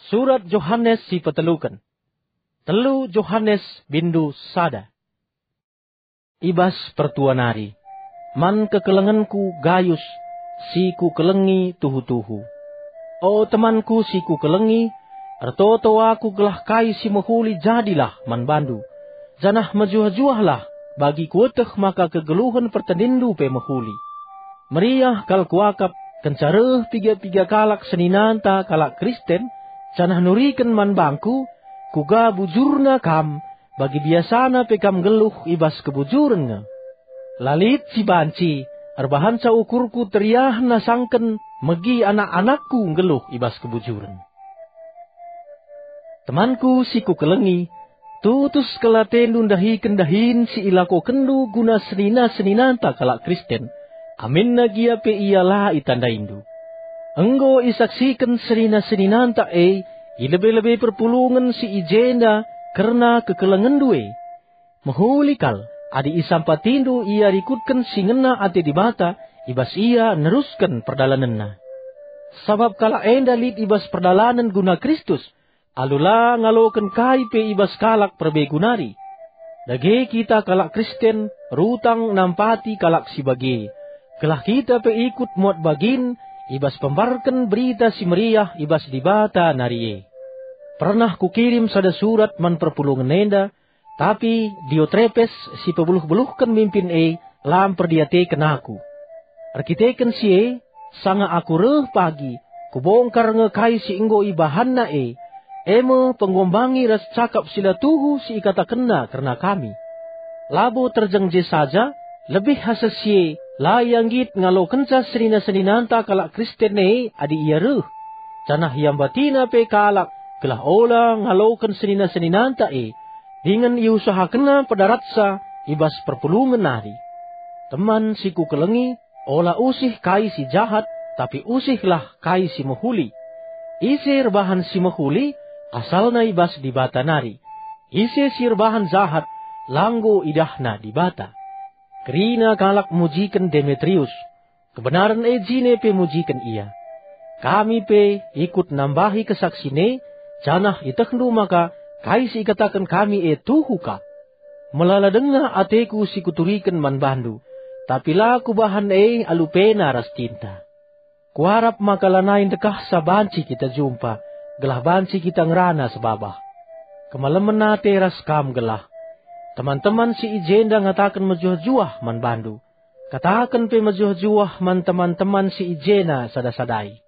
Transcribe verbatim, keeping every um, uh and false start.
Surat Johanes si peteluken. Telu Johanes bindu sada. I bas pertua nari, man kekelengenku Gayus si kukelengi tuhu-tuhu. O temanku si kukelengi, ertoto aku gelah kai si mehuli jadilah man bandu, janah mejuah-juahlah bagi kueteh maka kegeluhen pertendinndu pe mehuli. Meriah kal kuakap kenca reh piga-piga kalak seninanta kalak Kristen, janah nuriken man bangku, kuga bujurna kam, bagi biasana pe kam nggeluh i bas kebujuren nge. La lit si banci erbahanca ukurku teriah nasangken megi anak-anakku nggeluh i bas kebujuren. Temanku si kukelengi, tutus kal atendu ndahiken dahin si ilakokenndu guna senina-seninanta kalak Kristen, aminna gia pe ia la itandaindu. Enggo isaksiken senina-seninanta e i lebe-lebe perpulungen si i jenda kerna kekelengenndu e. Mehuli kal adi isampatindu ia rikutken si ngena ate Dibata, i bas ia nerusken perdalanenna. Sabap kalak enda lit i bas perdalanen guna Kristus, alu la ngaloken kai pe i bas kalak perbegu nari. Dage kita kalak Kristen rutang nampati kalak si bage, gelah kita pe ikut muat bagin i bas pembarken Berita Si Meriah i bas Dibata nari e. Pernah kukirim sada surat man perpulungen enda, tapi Diotrepes si pebeluh-beluhken mimpin e la mperdiateken aku. Erkiteken si e, sanga aku reh pagi, kubongkar nge kai si enggo ibahanna e, e me penggombangi ras cakap si la tuhu si ikatakenna kerna kami. Labo terjeng je saja, lebih asa si e, la ia nggit ngalokenca senina-seninanta kalak Kristen e adi ia reh, janah iambatina pe kalak gelah ola ngaloken senina-seninanta e, dingen iusahakenna pedaratsa i bas perpulungen nari. Teman si kukelengi, ola usih kai si jahat, tapi usihlah kai si mehuli. Ise erbahan si mehuli, asalna i bas Dibata nari. Ise si erbahan jahat, la enggo idahna Dibata. Kerina kalak mujiken Demetrius, kebenaren e jine pe mujiken ia. Kami pe ikut nambahi kesaksina e, janah ietehndu maka kai si ikataken kami e tuhu kap. Melala denga ateku si kuturiken man bandu, tapi la kubahan e alu pena ras tinta. Kuarap maka lanai ndekahsa banci kita jumpa, gelah banci kita ngerana sebabah. Kemalemen ate ras kam gelah. Teman-teman si i jenda ngataken mejuah-juah man bandu. Kataken pe mejuah-juah man teman-teman si i jena sada-sadai.